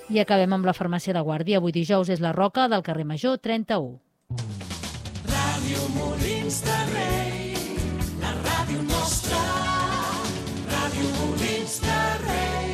I acabem amb la farmàcia de Guàrdia. Avui dijous és la Roca del carrer Major 31. Ràdio Molins de Rei, la ràdio nostra, Ràdio Molins de Rei.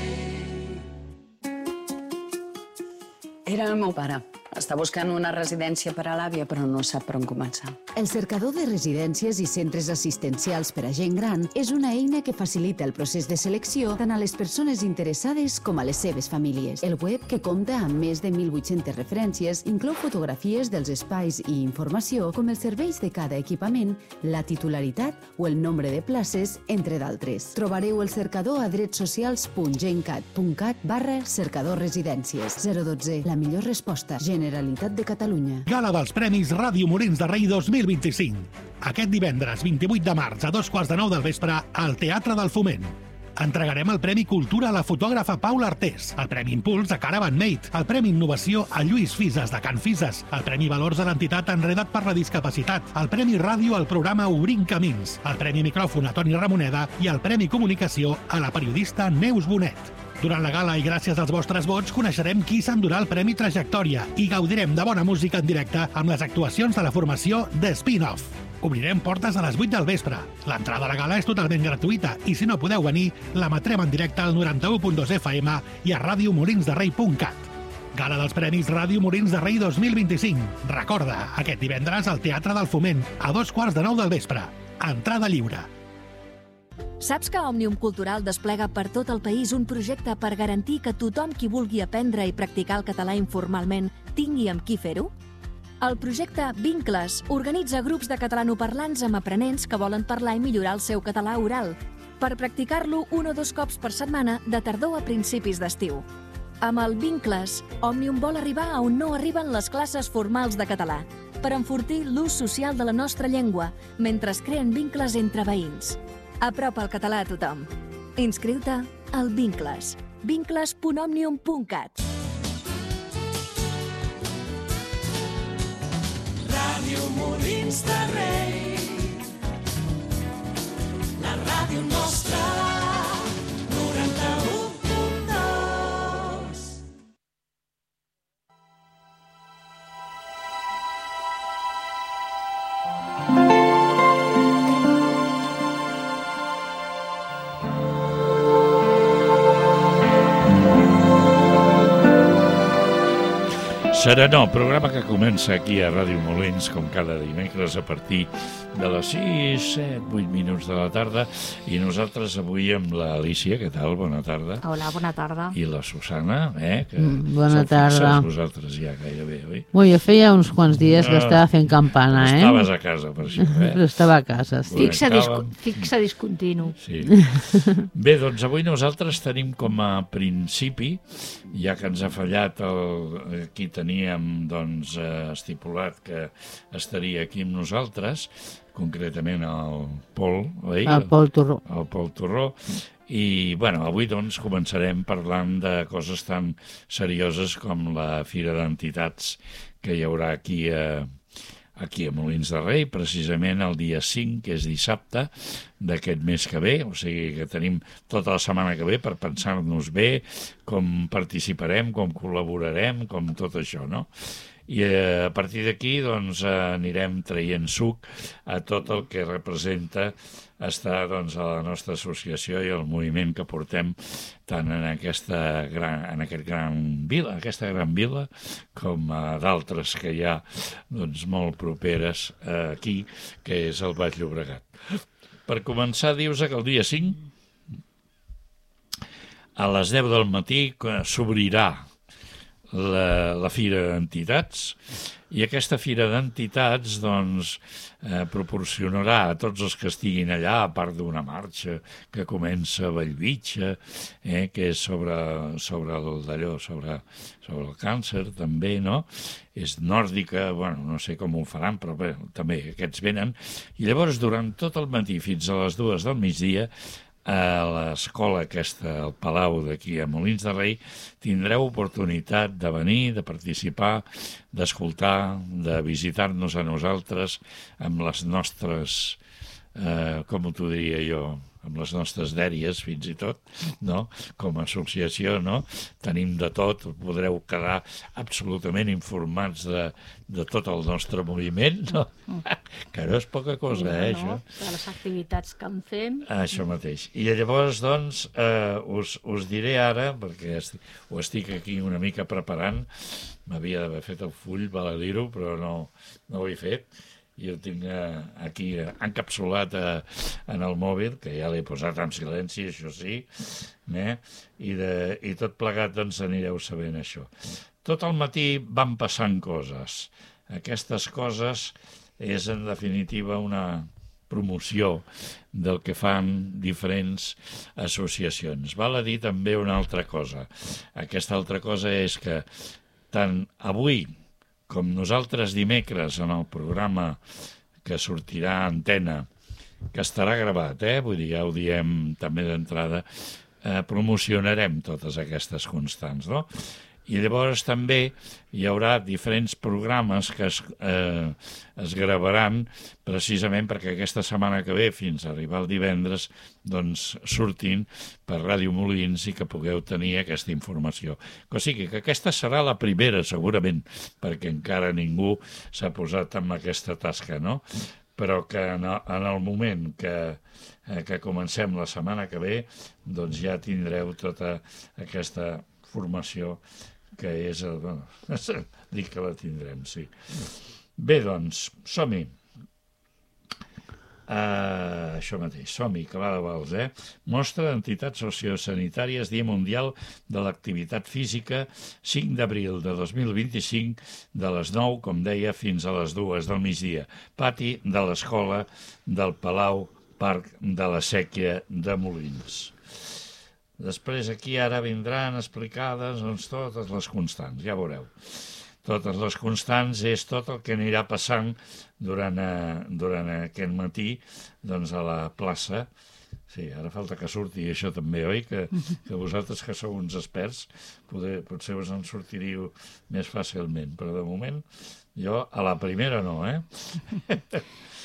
Era el meu pare. Està buscant una residència per a l'àvia, però no sap per on començar. El cercador de residències i centres assistencials per a gent gran és una eina que facilita el procés de selecció tant a les persones interessades com a les seves famílies. El web, que compta amb més de 1.800 referències, inclou fotografies dels espais i informació com els serveis de cada equipament, la titularitat o el nombre de places, entre d'altres. Trobareu el cercador a dretsocials.gencat.cat/cercador residències. 012, la millor resposta. Generalitat de Catalunya. Gala dels Premis Ràdio Molins de Rei 2025. Aquest divendres 28 de març a 2:15 del vespre al Teatre del Foment. Entregarem el Premi Cultura a la fotògrafa Paula Artés, el Premi Impuls a Caravan Mate, el Premi Innovació a Lluís Fises de Can Fises, el Premi Valors a l'entitat Enredat per la Discapacitat, el Premi Ràdio al programa Obrint Camins, el Premi Micròfon a Toni Ramoneda i el Premi Comunicació a la periodista Neus Bonet. Durant la gala i gràcies als vostres vots coneixerem qui s'endurà el Premi Trajectòria i gaudirem de bona música en directe amb les actuacions de la formació The Spin-Off. Obrirem portes a les 8 del vespre. L'entrada a la gala és totalment gratuïta i si no podeu venir, l'emetrem en directe al 91.2 FM i a radiomolinsderrei.cat. Gala dels Premis Ràdio Molins de Rei 2025. Recorda, aquest divendres al Teatre del Foment, a 2:15 del vespre. Entrada lliure. Saps que Òmnium Cultural desplega per tot el país un projecte per garantir que tothom qui vulgui aprendre i practicar el català informalment tingui amb qui fer-ho? El projecte Vincles organitza grups de catalanoparlants amb aprenents que volen parlar i millorar el seu català oral, per practicar-lo 1 o 2 cops per setmana de tardor a principis d'estiu. Amb el Vincles, Òmnium vol arribar a on no arriben les classes formals de català, per enfortir l'ús social de la nostra llengua, mentre es creen vincles entre veïns. Apropa el català a tothom. Inscriu-te al Vincles. vincles.omnium.cat. Ràdio Molins de Rei, la ràdio nostra, 91.2. Serenor, programa que comença aquí a Ràdio Molins, com cada dimecres, a partir de les 6, 7, 8 minuts de la tarda. I nosaltres avui amb l'Alícia, què tal? Bona tarda. Hola, bona tarda. I la Susana, que bona tarda. Vosaltres ja gairebé, oi? Bueno, jo feia uns quants dies que estava fent campana, Estaves a casa, per això, Però estava a casa, sí. Fixa discontinu. Sí. Bé, doncs avui nosaltres tenim com a principi, ja que ens ha fallat qui teníem doncs, estipulat que estaria aquí amb nosaltres, concretament el Pol, oi? El Pol Torró. El Pol Torró. I, bueno, avui doncs començarem parlant de coses tan serioses com la Fira d'Entitats que hi haurà aquí a Molins de Rei, precisament el dia 5, que és dissabte d'aquest mes que ve, o sigui que tenim tota la setmana que ve per pensar-nos bé com participarem, com col·laborarem, com tot això, no? I a partir d'aquí doncs, anirem traient suc a tot el que representa estar doncs, a la nostra associació i el moviment que portem tant en aquesta gran vila com a d'altres que hi ha doncs, molt properes aquí, que és el Baix Llobregat. Per començar, dius que el dia 5 a les 10 del matí s'obrirà la Fira d'Entitats, i aquesta Fira d'Entitats doncs, proporcionarà a tots els que estiguin allà, a part d'una marxa que comença a Bellvitge, que és sobre el càncer també, no? És nòrdica, bueno, no sé com ho faran, però bé, també aquests venen, i llavors durant tot el matí fins a les 2 del migdia a l'escola aquesta, al Palau d'aquí a Molins de Rei, tindreu oportunitat de venir, de participar, d'escoltar, de visitar-nos a nosaltres amb les nostres com t'ho diria jo, amb les nostres dèries, fins i tot, no? Com a associació, no? Tenim de tot, podreu quedar absolutament informats de tot el nostre moviment, no? Que no és poca cosa, això. De les activitats que en fem. Això mateix. I llavors, doncs, us diré ara, perquè ho estic aquí una mica preparant, m'havia d'haver fet el full, val a dir-ho, però no ho he fet. Jo tinc aquí encapsulat en el mòbil, que ja l'he posat en silenci, això sí, i tot plegat doncs anireu sabent això. Tot el matí van passant coses. Aquestes coses és en definitiva una promoció del que fan diferents associacions. Val a dir també una altra cosa. Aquesta altra cosa és que tant avui com nosaltres dimecres en el programa que sortirà a antena, que estarà gravat, vull dir, ja ho diem també d'entrada, promocionarem totes aquestes constants, no? I llavors també hi haurà diferents programes que es gravaran precisament perquè aquesta setmana que ve, fins a arribar el divendres, doncs surtin per Ràdio Molins i que pugueu tenir aquesta informació. O sigui que aquesta serà la primera, segurament, perquè encara ningú s'ha posat en aquesta tasca, no? Però que en el moment que comencem la setmana que ve, doncs ja tindreu tota aquesta formació que és... dic que la tindrem, sí. Bé, doncs, som-hi. Això mateix, som-hi, que va de vals, Mostra d'Entitats Sociosanitàries, Dia Mundial de l'Activitat Física, 5 d'abril de 2025, de les 9, com deia, fins a les 2 del migdia. Pati de l'Escola del Palau Parc de la Sèquia de Molins. Després aquí ara vindran explicades doncs, totes les constants, ja veureu. Totes les constants és tot el que anirà passant durant aquest matí doncs, a la plaça. Sí, ara falta que surti això també, oi? Que vosaltres que sou uns experts potser us en sortiríeu més fàcilment, però de moment jo a la primera no,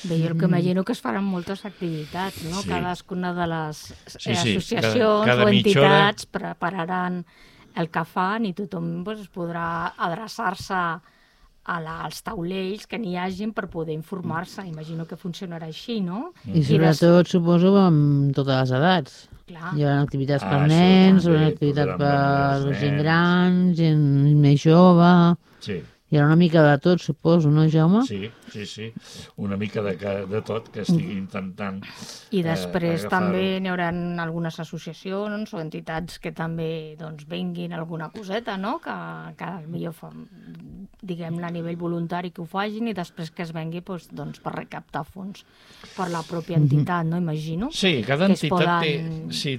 Bé, jo el que imagino que es faran moltes activitats, no? Sí. Cadascuna de les cada associacions o mitja hora entitats prepararan el que fan i tothom doncs, podrà adreçar-se als taulells que n'hi hagin per poder informar-se. Imagino que funcionarà així, no? I sobretot, suposo, amb totes les edats. Clar. Hi haurà activitats per nens, hi haurà activitats per gent gran, gent més jove... Sí. Hi haurà una mica de tot, suposo, no, Jaume? Sí. Una mica de tot que estigui intentant I després agafar-ho. també n'hi haurà algunes associacions o entitats que també doncs, venguin alguna coseta, no? Que millor fa, diguem-ne, a nivell voluntari que ho facin i després que es vengui doncs, per recaptar fons per la pròpia entitat, no? Imagino. Sí, cada entitat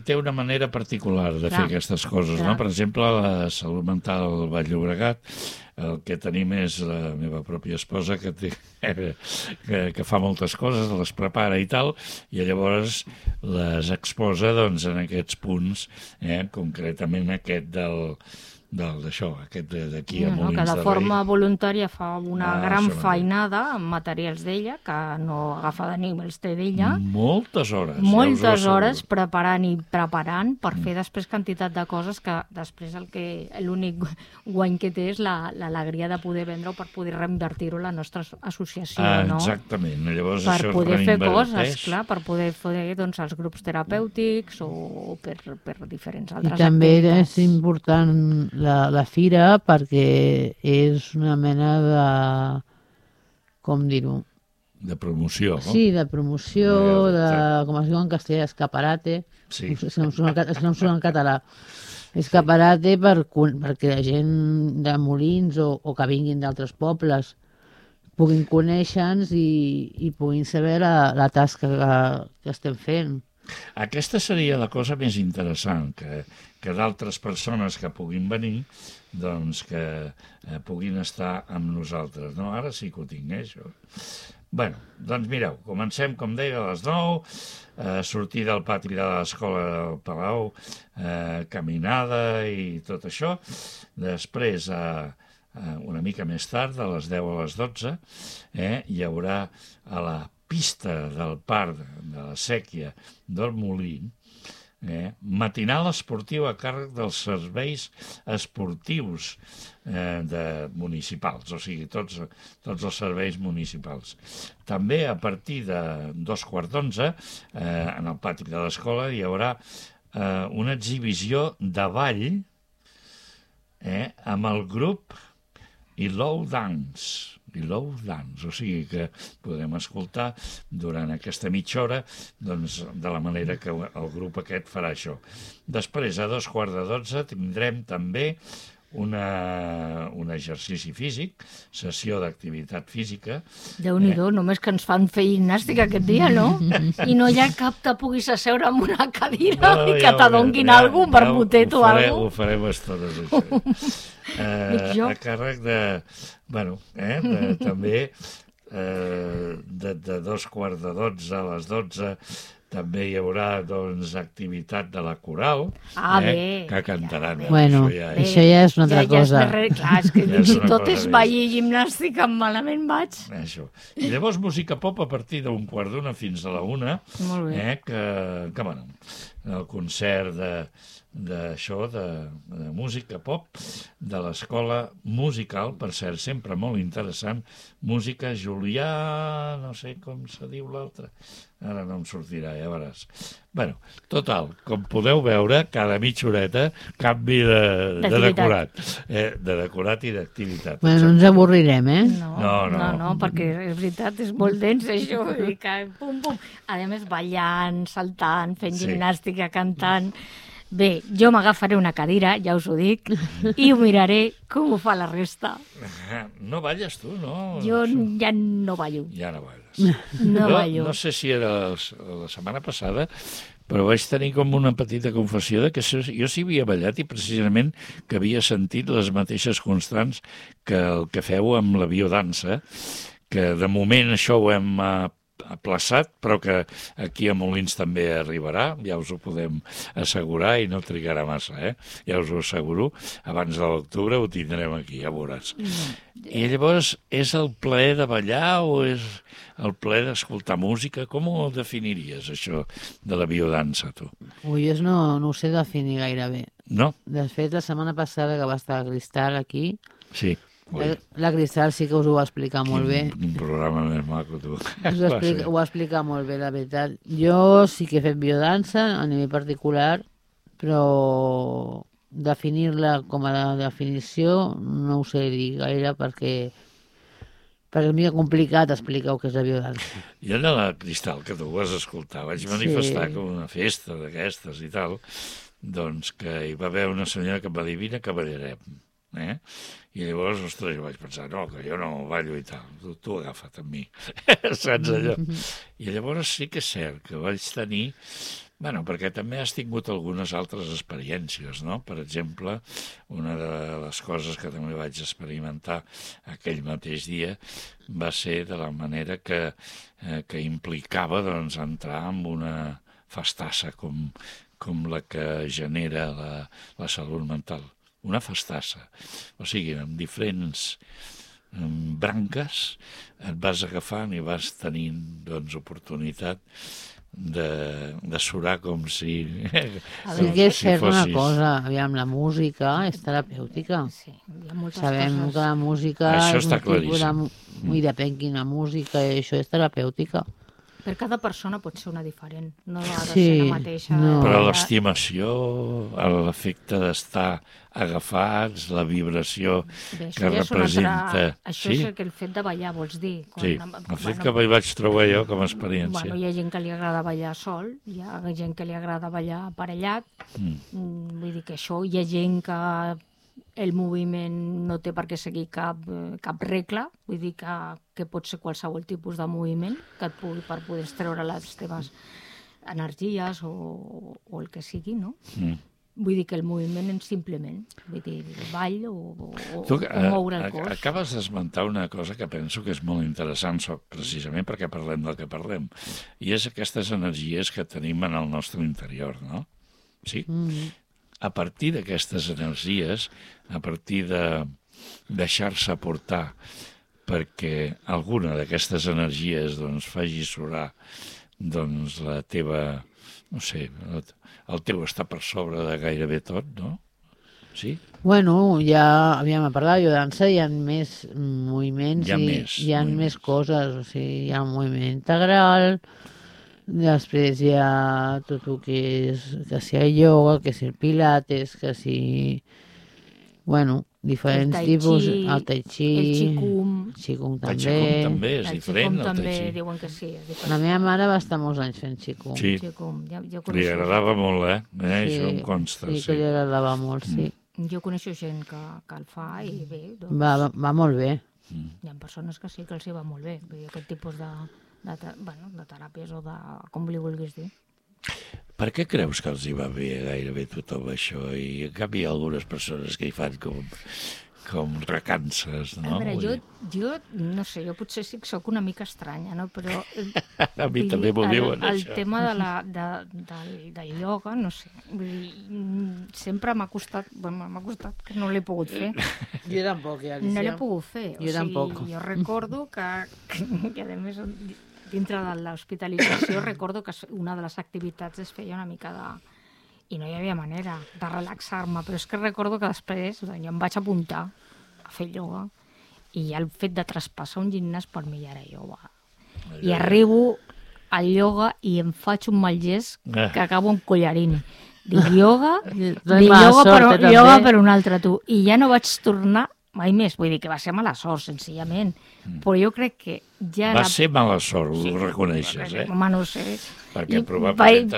té una manera particular de fer aquestes coses, no? Per exemple, la Salut Mental Vall Llobregat, el que tenim és la meva pròpia esposa que fa moltes coses, les prepara i tal, i llavors les exposa doncs, en aquests punts, concretament aquest d'això, aquest d'aquí a Molins de Rei. Que de forma voluntària fa una gran feinada amb materials d'ella, que no agafa de ningú, els té d'ella. Moltes hores. Moltes hores preparant per fer després quantitat de coses que després l'únic guany que té és l'alegria de poder vendre o per poder reinvertir-ho a la nostra associació, no? Exactament. Llavors per això poder fer coses, clar, per poder fer doncs, els grups terapèutics o per diferents altres activitats. I també és important la fira perquè és una mena de... com dir-ho? De promoció, no? Sí, de promoció, com es diu en castellà, escaparate. Sí. És que no em surt en català. Escaparate perquè la gent de Molins o que vinguin d'altres pobles puguin conèixer-nos i puguin saber la tasca que estem fent. Aquesta seria la cosa més interessant, que d'altres persones que puguin venir, doncs que puguin estar amb nosaltres. No? Ara sí que ho tinc, això. Bé, doncs mireu, comencem, com deia, a les 9, sortir del pati de l'escola del Palau, caminada i tot això. Després, una mica més tard, a les 10 a les 12, hi haurà a la pista del parc de la Sèquia del Molí, matinal esportiu a càrrec dels serveis esportius municipals, o sigui, tots els serveis municipals. També a partir de 2:15, en el pati de l'escola, hi haurà una exhibició de ball amb el grup Ilow Dance, o sigui que podem escoltar durant aquesta mitja hora doncs, de la manera que el grup aquest farà això. Després, a 11:15, tindrem també un exercici físic, sessió d'activitat física. Déu-n'hi-do, només que ens fan fer gimnàstica aquest dia, no? I no hi ha cap que puguis asseure en una cadira i que t'adonguin algun vermutet o alguna cosa. Ho farem estones, això. A càrrec de... també de 2:15 a les 12 també hi haurà, doncs, activitat de la coral, que cantaran. Bueno, això ja és una altra cosa. Clar, és que fins i tot és ballar i gimnàstica, malament vaig. Això. I llavors música pop a partir d'1:15 fins a la 1, que bueno, el concert de música pop de l'escola musical, per cert, sempre molt interessant, música Julià, no sé com se diu l'altre, ara no em sortirà, ja veuràs. Bueno, total, com podeu veure, cada mitja horeta canvi de decorat. De decorat i d'activitat. Bueno, no ens avorrirem, No, perquè és veritat, és molt dens, això. Pum, pum. A més, ballant, saltant, fent gimnàstica, cantant... Bé, jo m'agafaré una cadira, ja us ho dic, i ho miraré com ho fa la resta. No balles tu, no? Jo ja no ballo. Ja no balles. ballo. No sé si era la setmana passada, però vaig tenir com una petita confessió de que jo sí havia ballat i precisament que havia sentit les mateixes constants que el que feu amb la biodansa, que de moment això ho hem aplaçat, però que aquí a Molins també arribarà, ja us ho podem assegurar i no trigarà massa, ja us ho asseguro, abans de l'octubre ho tindrem aquí, ja veuràs. I llavors, és el plaer de ballar o és el plaer d'escoltar música? Com ho definiries, això de la biodansa, tu? Ui, jo no ho sé definir gaire bé. No? De fet, la setmana passada que va estar Cristal aquí... Sí. La Cristal sí que us ho va explicar molt bé. Un programa més maco, tu. Ho va explicar molt bé, la veritat. Jo sí que he fet biodansa a nivell particular, però definir-la com a definició no ho sé dir gaire perquè és mica complicat explicar què és la biodansa. Jo de la Cristal, que tu ho vas escoltar, vaig manifestar com una festa d'aquestes i tal, doncs que hi va haver una senyora que em va dir, vine que ballarem. I llavors, ostres, jo vaig pensar, no, que jo no ballo i tal, tu agafa't amb mi, saps allò? I llavors sí que és cert que vaig tenir, bueno, perquè també has tingut algunes altres experiències, no? Per exemple, una de les coses que també vaig experimentar aquell mateix dia va ser de la manera que implicava, doncs, entrar en una festassa com la que genera la salut mental. Una festassa, o sigui, amb diferents branques et vas agafant i vas tenint, doncs, oportunitat de surar com si... Sí que és cert una cosa, aviam, la música és terapèutica. Sí, hi ha moltes Sabem coses. que la música això és està un tipus claríssim. i depèn quina música, això és terapèutica. Per cada persona pot ser una diferent, no ha de Sí, ser la mateixa. no. Però l'estimació, l'efecte d'estar agafats, la vibració Bé, que representa... Això és el fet de ballar, vols dir? Sí, el fet que vaig trobar jo com a experiència. Hi ha gent que li agrada ballar sol, hi ha gent que li agrada ballar aparellat, vull dir que això, hi ha gent que el moviment no té per què seguir cap regla, vull dir que pot ser qualsevol tipus de moviment que et pugui per poder treure les teves energies o el que sigui, no? Vull dir que el moviment és simplement, vull dir, el ball o moure el cos. Acabes d'esmentar una cosa que penso que és molt interessant, precisament perquè parlem del que parlem, i és aquestes energies que tenim en el nostre interior, no? Sí? A partir d'aquestes energies, a partir de deixar-se portar perquè alguna d'aquestes energies doncs, faci surar doncs, la teva, no sé, el teu està per sobre de gairebé tot, no? Sí? Bueno, ja havíem parlat jo dansa, hi ha més moviments, hi ha més coses, o sigui, hi ha un moviment integral, després hi ha tot el que és, que si el ioga, que si el pilates, que si, bueno, diferents tipus, el tai chi, el qigong. El qigong també. El qigong també és diferent, el tai chi. Diuen que sí, és diferent. La meva mare va estar molts anys fent qigong. Sí, li agradava molt, això em consta. Sí, que li agradava molt, sí. Jo coneixo gent que el fa i bé, doncs... Va molt bé. Hi ha persones que sí que els hi va molt bé, aquest tipus de teràpies o de... com li vulguis dir. Per què creus que els hi va bé gairebé tothom això? I en canvi hi ha algunes persones que hi fan com recances, no? A veure, jo no sé, jo potser sí que soc una mica estranya, no? Però... A mi també m'ho diuen, el això. El tema del ioga, no sé, vull dir, sempre m'ha costat que no l'he pogut fer. Jo tampoc, Alicia. No l'he pogut fer. Jo tampoc. Jo recordo que a més, dintre de l'hospitalització, recordo que una de les activitats es feia una mica de... I no hi havia manera de relaxar-me, però és que recordo que després jo em vaig apuntar a fer ioga i ja el fet de traspassar un gimnàs per mi ja era ioga. I arribo al ioga i em faig un mal gest que acabo amb collarini. Dic ioga per un altre, tu. I ja no vaig tornar mai més, vull dir que va ser mala sort, senzillament. Però jo crec que ja... Va ser mala sort, ho reconeixes, Home, no sé. Perquè probablement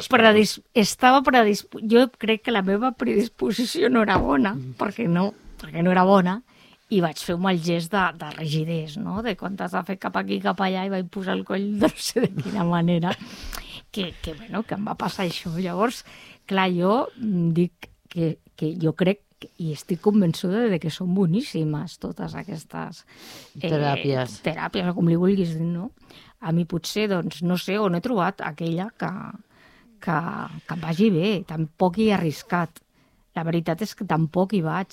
jo crec que la meva predisposició no era bona, perquè no era bona, i vaig fer un mal gest de rigidesa, no? De quan t'has de fer cap aquí, cap allà, i vaig posar el coll de no sé de quina manera, que em va passar això. Llavors, clar, jo dic que jo crec i estic convençuda de que són boníssimes totes aquestes teràpies, o com li vulguis dir, no? A mi potser, doncs, no sé, on he trobat aquella que em vagi bé, tampoc hi he arriscat. La veritat és que tampoc hi vaig.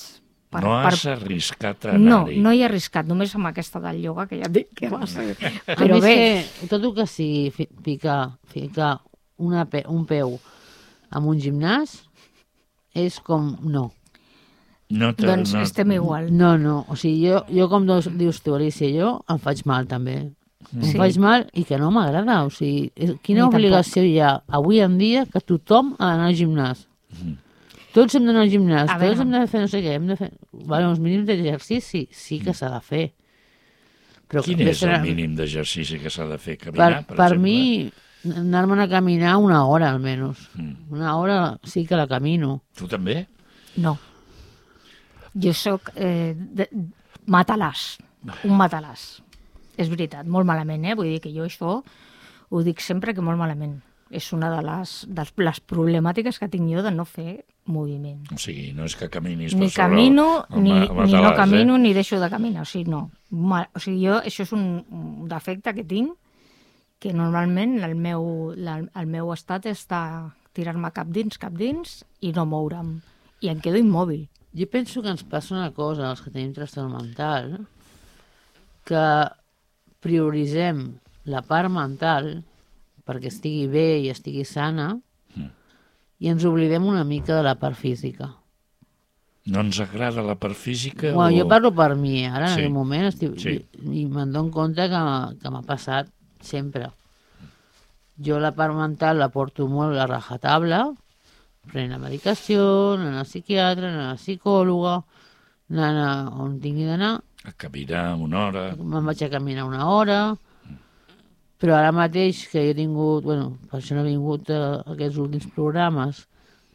No has arriscat a anar-hi? No hi he arriscat, només amb aquesta del ioga, que ja et dic que va ser... Però bé... Tot el que sigui ficar un peu en un gimnàs és com no. Doncs estem igual. No, o sigui, jo com dius tu, Alicia, jo em faig mal també. Em faig mal i que no m'agrada. O sigui, quina obligació hi ha avui en dia que tothom ha d'anar al gimnàs? Tots hem d'anar al gimnàs, tots hem de fer no sé què, hem de fer... uns mínims d'exercici sí que s'ha de fer. Quin és el mínim d'exercici que s'ha de fer? Caminar, per exemple? Per mi, anar-me'n a caminar una hora, almenys. Una hora sí que la camino. Tu també? No. Jo soc matalàs, un matalàs. És veritat, molt malament, Vull dir que jo això ho dic sempre que molt malament. És una de les problemàtiques que tinc jo de no fer moviment. O sigui, no és que caminis per sobre... Ni camino, ni no camino, ni deixo de caminar. O sigui, no. O sigui, això és un defecte que tinc, que normalment el meu estat és de tirar-me cap dins i no moure'm. I em quedo immòbil. Jo penso que ens passa una cosa, els que tenim trastorn mental, que prioritzem la part mental perquè estigui bé i estigui sana i ens oblidem una mica de la part física. No ens agrada la part física? Jo parlo per mi, ara en aquest moment i me'n dono compte que m'ha passat sempre. Jo la part mental la porto molt a rajatabla, prenent la medicació, anant al psiquiatre, anant a la psicòloga, anant on tingui d'anar. A caminar una hora. Me'n vaig a caminar una hora, però ara mateix que he tingut, per això no he vingut a aquests últims programes,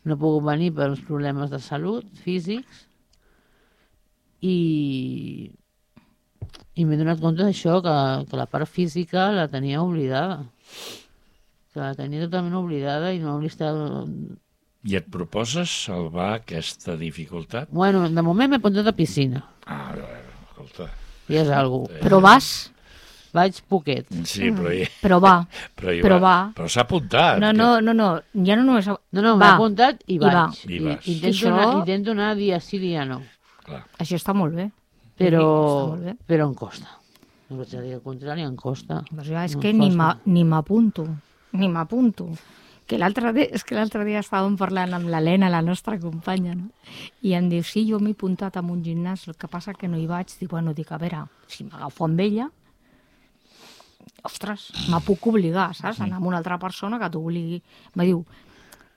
no he pogut venir per uns problemes de salut físics i m'he donat compte d'això, que la part física la tenia oblidada, que la tenia totalment oblidada i no li estava... I et proposes salvar aquesta dificultat? De moment m'he apuntat a piscina. Escolta... Ja és alguna cosa. Però vas? Vaig poquet. Sí, però va. Però s'ha apuntat. No, ja no només... No, m'he apuntat i vaig. I vas. Intento anar dia sí, dia no. Clar. Això està molt bé. Però em costa. No vaig a dir el contrari, em costa. Doncs jo és que ni m'apunto. Que l'altre dia estàvem parlant amb l'Helena, la nostra companya, no? I em diu, sí, jo m'he apuntat a un gimnàs, el que passa que no hi vaig. Dic, a veure, si m'agafo amb ella, ostres, me puc obligar, saps? Anar amb una altra persona que t'obligui. Me diu,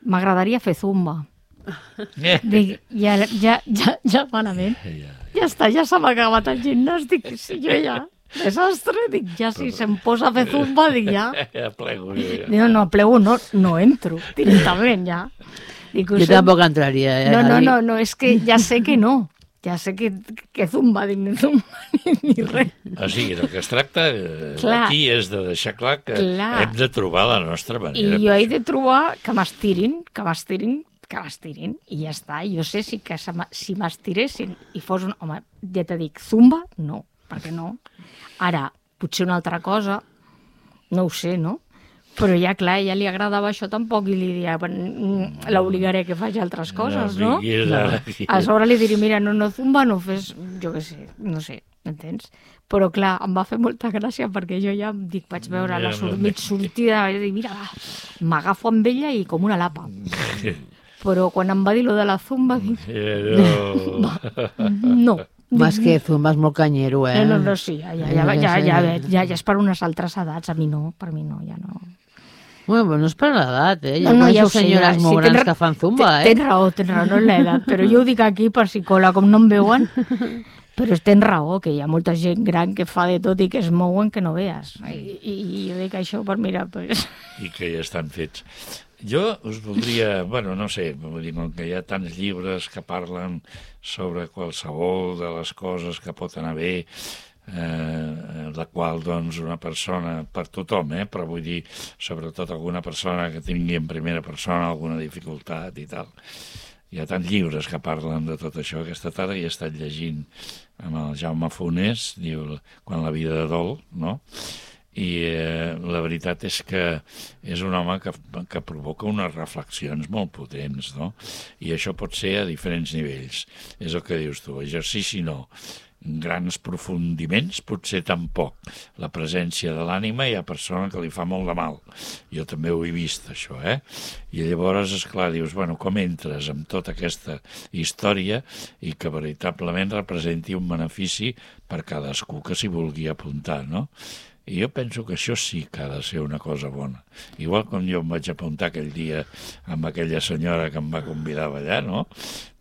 m'agradaria fer zumba. Dic, ja malament. Ja està, ja s'ha acabat el gimnàs. Dic, sí, jo ja... Desastre, dic, ja si se'm posa a fer zumba, dic, ja... Ja plego, ja. Dic, no plego, no entro, directament, ja. Dic, jo tampoc entraria, No, és que ja sé que no. Ja sé que zumba, dic, ni zumba, ni res. O sigui, del que es tracta aquí és de deixar clar que hem de trobar la nostra manera. I jo he de trobar que m'estirin, i ja està. Jo sé que si m'estiressin i fos un... Home, ja t'he dit, zumba, no, perquè no. Ara, potser una altra cosa, no ho sé, no? Però ja, clar, a ella li agradava això tampoc i li diria, l'obligaré que faci altres coses, no? A sobre li diré, mira, no zumba, no fes, jo què sé, no sé, m'entens? Però, clar, em va fer molta gràcia perquè jo ja em dic, vaig veure la mig sortida, i dic, mira, m'agafo amb ella i com una lapa. Però quan em va dir lo de la zumba, dic, no. Més que zumba és molt canyero, No, sí, ja és per unes altres edats, per mi no, ja no. Bueno, no és per l'edat, Hi ha senyores molt grans que fan zumba, Tens raó, no és l'edat, però jo ho dic aquí per si cola, com no em veuen, però tens raó, que hi ha molta gent gran que fa de tot i que es mouen que no veas. I jo dic això per mirar, pues... I que ja estan fets. Jo us voldria, no sé, com que hi ha tants llibres que parlen sobre qualsevol de les coses que pot anar bé, la qual, doncs, una persona, per tothom, però vull dir, sobretot alguna persona que tingui en primera persona alguna dificultat i tal. Hi ha tants llibres que parlen de tot això. Aquesta tarda he estat llegint amb el Jaume Funes, diu Quan la vida dol, no? I la veritat és que és un home que provoca unes reflexions molt potents, no? I això pot ser a diferents nivells. És el que dius tu, exercici no. Grans aprofundiments potser tampoc. La presència de l'ànima hi ha persona que li fa molt de mal. Jo també ho he vist, això, I llavors, esclar, dius, com entres amb tota aquesta història i que veritablement representi un benefici per cadascú que s'hi vulgui apuntar, no? I jo penso que això sí que ha de ser una cosa bona. Igual com jo em vaig apuntar aquell dia amb aquella senyora que em va convidar a ballar, no?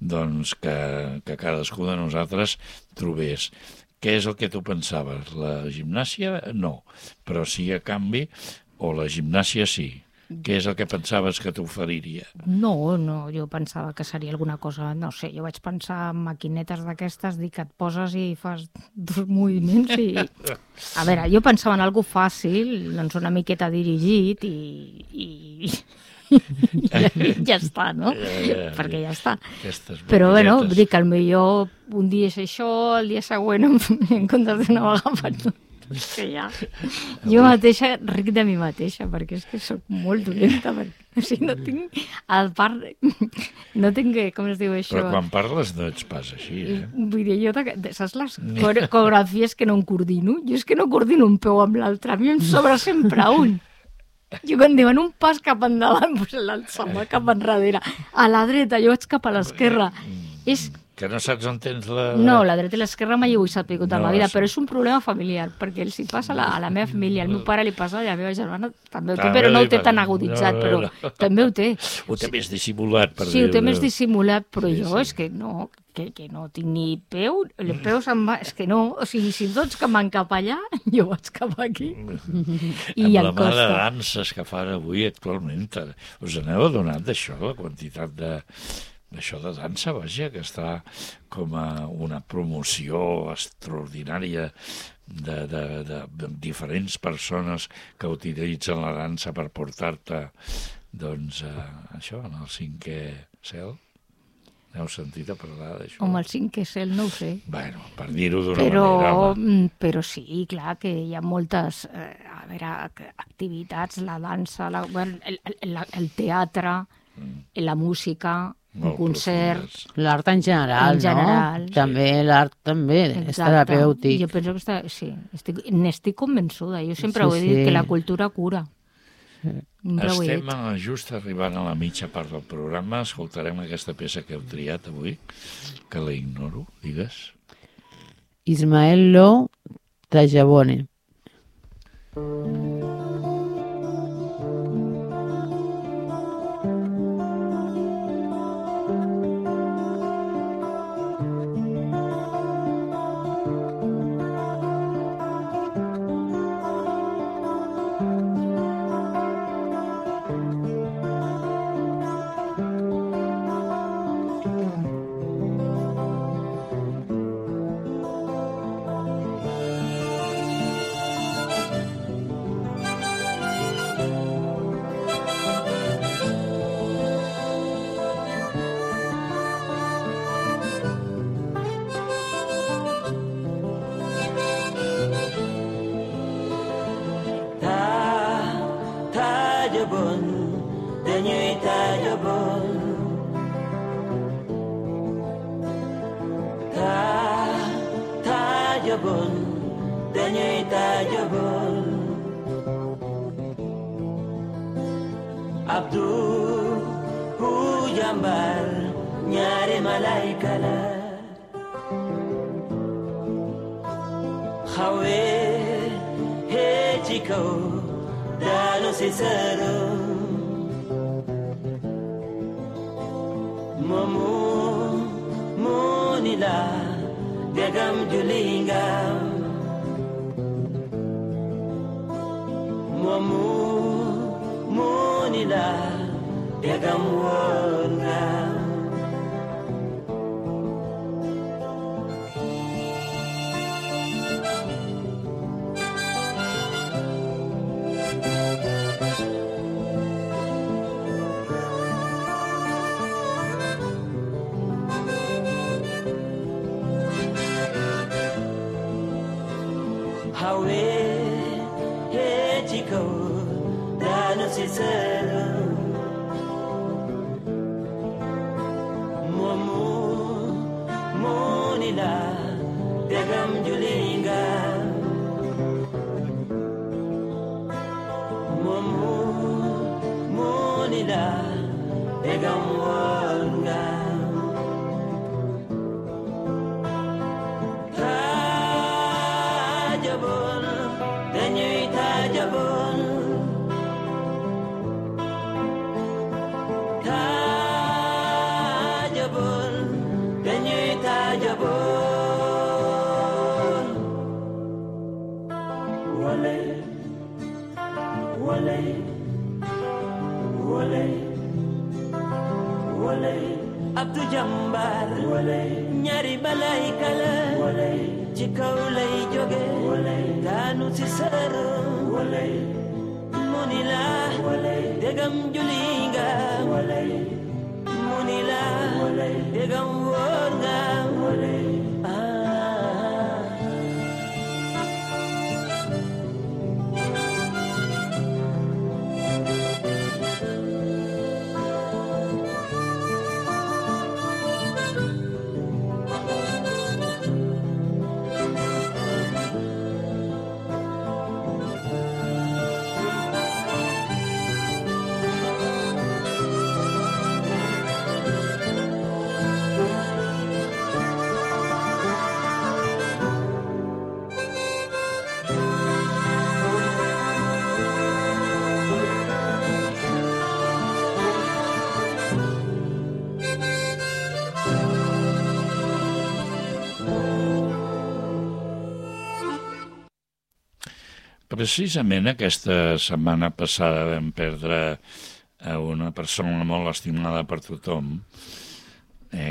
Doncs que cadascú de nosaltres trobés. Què és el que tu pensaves? La gimnàsia? No. Però sí a canvi, o la gimnàsia sí. Què és el que pensaves que t'oferiria? No, jo pensava que seria alguna cosa, no sé, jo vaig pensar en maquinetes d'aquestes, dir que et poses i fas 2 moviments i... A veure, jo pensava en algo fàcil, doncs una miqueta dirigit i ja està, no? Perquè ja està. Però, dic que potser un dia és això, el dia següent en comptes d'una vegada és que ja... Jo mateixa ric de mi mateixa, perquè és que soc molt dolenta, perquè o sigui, no tinc... A part, no tinc... Com es diu això? Però quan parles no ets pas així, Vull dir, saps les coreografies que no em coordino? Jo és que no coordino un peu amb l'altre, a mi em sobra sempre un. Jo quan diuen un pas cap endavant, doncs l'altre va cap enrere. A la dreta, jo vaig cap a l'esquerra. És... Que no saps on tens la... No, la dreta i l'esquerra mai ho he sabut a la vida, però és un problema familiar, perquè els hi passa a la meva família, al meu pare li passa, i a la meva germana també ho té, però no ho té tan aguditzat, però també ho té. Ho té més dissimulat, per dir-ho. Sí, ho té més dissimulat, però jo és que no, que no tinc ni peu, el peu se'n va... És que no, o sigui, si tots que van cap allà, jo vaig cap aquí. I amb la mà de danses que fan avui actualment, us aneu adonat d'això, la quantitat d'això de dansa, vaja, que està com a una promoció extraordinària de diferents persones que utilitzen la dansa per portar-te, doncs, això, en el 5è cel. N'heu sentit a parlar d'això? Home, el 5è cel no ho sé. Bueno, per dir-ho d'una manera, home. Però sí, clar, que hi ha moltes activitats, la dansa, el teatre, la música, molt concert. profundes. L'art en general, En general, no? També l'art també és terapèutic. Jo penso que n'estic convençuda. Jo sempre ho he Sí, dit, sí. que la cultura cura. Sempre ho he Estem dit. just arribant a la mitja part del programa. Escoltarem aquesta peça que heu triat avui, que la ignoro, digues. Ismael Lo, Tajabone. Tajabon, dañuy tajabon. Tajabon, dañuy tajabon. Abdul Hujambar, ñaari malaika la. Xawe he ci kaw daanu si saro momu munila gagam julinga momu munila gagam wonga Hawe he chico dano sincero momu monila pegam julinga momu monila pegam wanga Abdu Jambar ñaari malaika la ci kaw lay jóge daanu ci saro munila degam julinga munila degam worga Precisament aquesta setmana passada vam perdre a una persona molt estimada per tothom,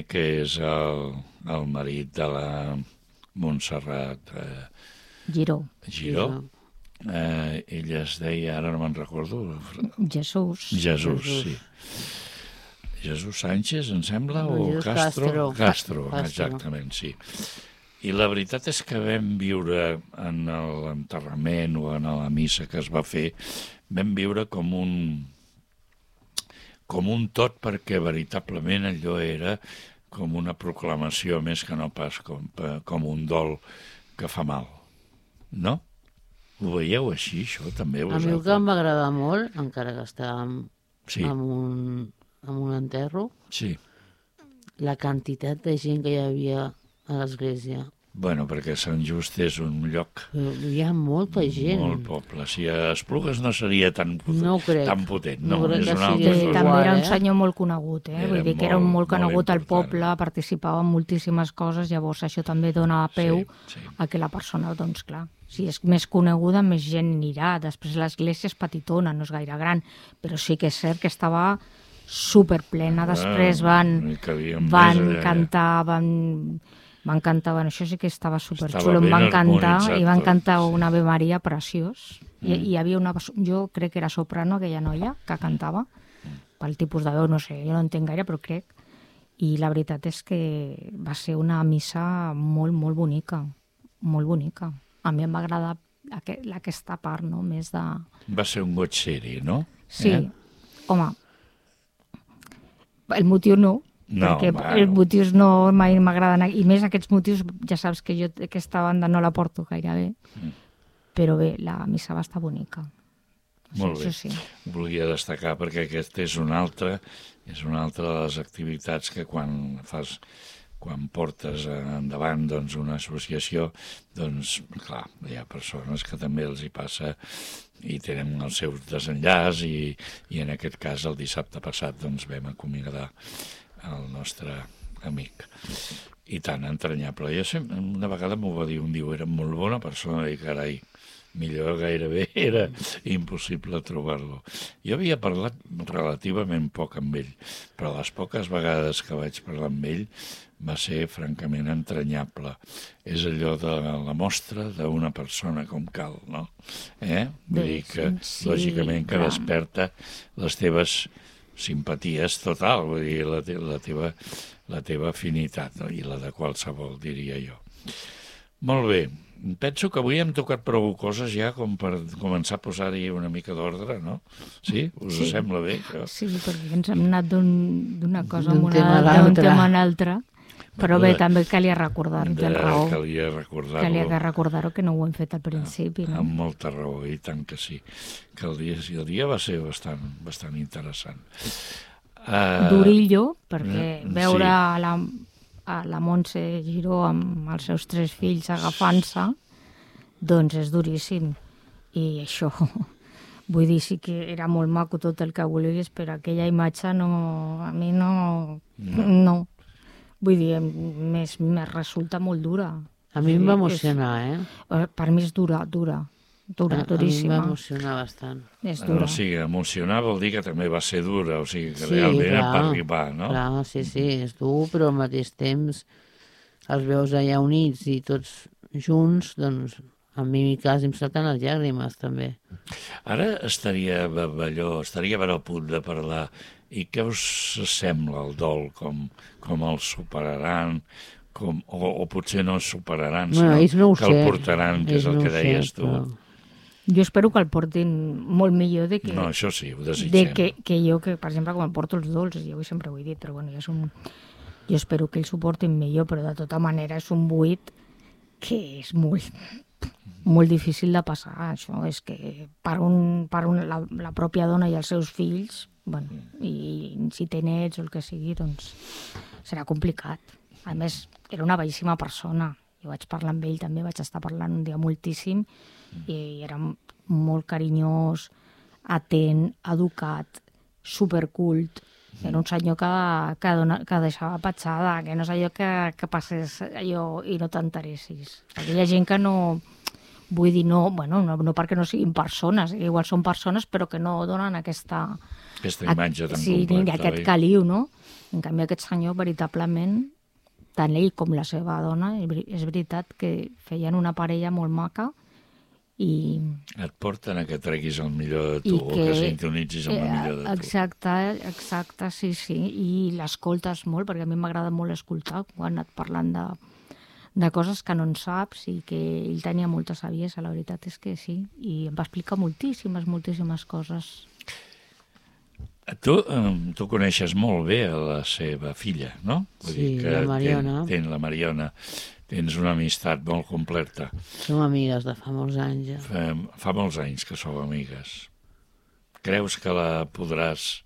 que és el marit de la Montserrat Giró. Ella es deia, ara no me'n recordo... Jesús, sí. Jesús Sánchez, em sembla, o Jesús Castro, exactament, sí. I la veritat és que vam viure en l'enterrament o en la missa que es va fer, vam viure com com un tot, perquè veritablement allò era com una proclamació més que no pas com un dol que fa mal. No? Ho veieu així, això, també? A mi el que em va agradar molt, encara que estàvem Sí. en un enterro, Sí. la quantitat de gent que hi havia a l'església. Bueno, perquè Sant Just és un lloc... Hi ha molta gent. Molt poble. Si a Esplugues no seria tan crec. tan potent. No, No crec és que una sigui altra igual, cosa. També era un eh? senyor molt conegut, Era vull dir que era molt conegut al important. poble, participava en moltíssimes coses, llavors això també dona peu Sí. a que la persona, doncs clar, si és més coneguda, més gent anirà. Després l'església és petitona, no és gaire gran, però sí que és cert que estava superplena. Després van cantar, van cantar, bueno, això sí que estava superxulo, em van cantar i van cantar una Ave Maria preciós. I hi havia una, jo crec que era soprano, aquella noia que cantava, pel tipus de veu, no sé, jo no entenc gaire, però crec. I la veritat és que va ser una missa molt, molt bonica, molt bonica. A mi em va agradar aquesta part, no?, més de... Va ser un goig seri, no? Sí, home, el motiu no, perquè els motius no mai m'agraden, i més aquests motius, ja saps que jo aquesta banda no la porto gaire bé, però bé, la missa va estar bonica. Molt bé. Sí. Volia destacar perquè aquest és una altra de les activitats que quan portes endavant doncs, una associació, doncs, clar, hi ha persones que també els hi passa i tenen el seu desenllaç i en aquest cas el dissabte passat doncs, vam acomiadar el nostre amic. I tan entranyable. Jo sempre, una vegada m'ho va dir, era molt bona persona, i carai, millor gairebé era impossible trobar-lo. Jo havia parlat relativament poc amb ell, però les poques vegades que vaig parlar amb ell va ser francament entranyable. És allò de la mostra d'una persona com cal, no? Vull dir que, lògicament, que desperta les teves simpaties total, vull dir, la teva afinitat, no? I la de qualsevol, diria jo. Molt bé. Penso que avui hem tocat prou coses ja com per començar a posar-hi una mica d'ordre, no? Sí? Us sembla bé? Sí, perquè ens hem anat d'una cosa d'un tema a l'altre. Però bé, també calia recordar-ho, tens raó. Calia recordar-ho. Calia recordar-ho, que no ho hem fet al principi. No? Amb molta raó, i tant que sí. Que el dia va ser bastant interessant. Durillo, perquè veure la Montse Giró amb els seus 3 fills agafant-se, doncs és duríssim. I això, vull dir, sí que era molt maco tot el que vulguis, però aquella imatge a mi no. Vull dir, més resulta molt dura. A mi em va emocionar, Per mi és duríssima. A mi em va emocionar bastant. És dura. O sigui, emocionar vol dir que també va ser dura, o sigui, que realment era per arribar, no? Clar, sí, és dur, però al mateix temps els veus allà units i tots junts, doncs a mi quasi em salten les llàgrimes, també. Ara estaria a punt de parlar. I què us sembla el dol? Com el superaran? O potser no el superaran, sinó que el portaran, que és el que deies tu. Jo espero que el portin molt millor de que... No, això sí, ho desitgem. Que jo, per exemple, quan porto els dolços, jo sempre ho he dit, però bueno, jo espero que ells ho portin millor, però de tota manera és un buit que és molt difícil de passar. Això és que per la pròpia dona i els seus fills, bueno, i si té nets o el que sigui, doncs serà complicat. A més, era una bellíssima persona. Jo vaig parlar amb ell també, vaig estar parlant un dia moltíssim, i era molt carinyós, atent, educat, supercult. Era un senyor que deixava petjada, que no és allò que passés allò i no t'interessis. Aquella gent que no... Vull dir, no perquè no siguin persones, igual són persones, però que no donen aquesta imatge tan completa. Sí, aquest caliu, no? En canvi, aquest senyor, veritablement, tant ell com la seva dona, és veritat que feien una parella molt maca i... Et porten a que treguis el millor de tu, o que sintonitzis amb el millor de tu. Exacte, sí. I l'escoltes molt, perquè a mi m'agrada molt escoltar quan et parlen de coses que no en saps, i que ell tenia molta saviesa, la veritat és que sí, i em va explicar moltíssimes coses. Tu coneixes molt bé a la seva filla, no? Sí, la Mariona. La Mariona. Tens una amistat molt completa. Som amigues de fa molts anys, ja. Fa molts anys que sou amigues. Creus que la podràs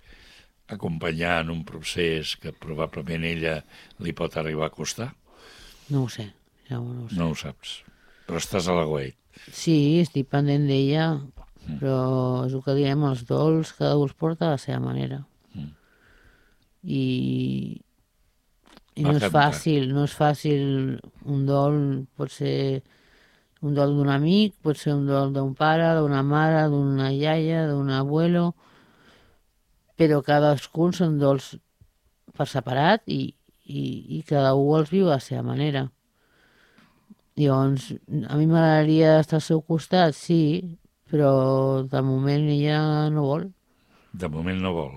acompanyar en un procés que probablement ella li pot arribar a costar? No ho sé, no ho sé. No ho saps. Però estàs a l'aguait. Sí, estic pendent d'ella, però és el que diem, els dols, cada un els porta a la seva manera. I no és fàcil, un dol pot ser un dol d'un amic, pot ser un dol d'un pare, d'una mare, d'una iaia, d'un abuelo, però cadascun són dols per separat i cada un els viu a la seva manera. Llavors, a mi m'agradaria estar al seu costat, sí, però de moment ella no vol. De moment no vol.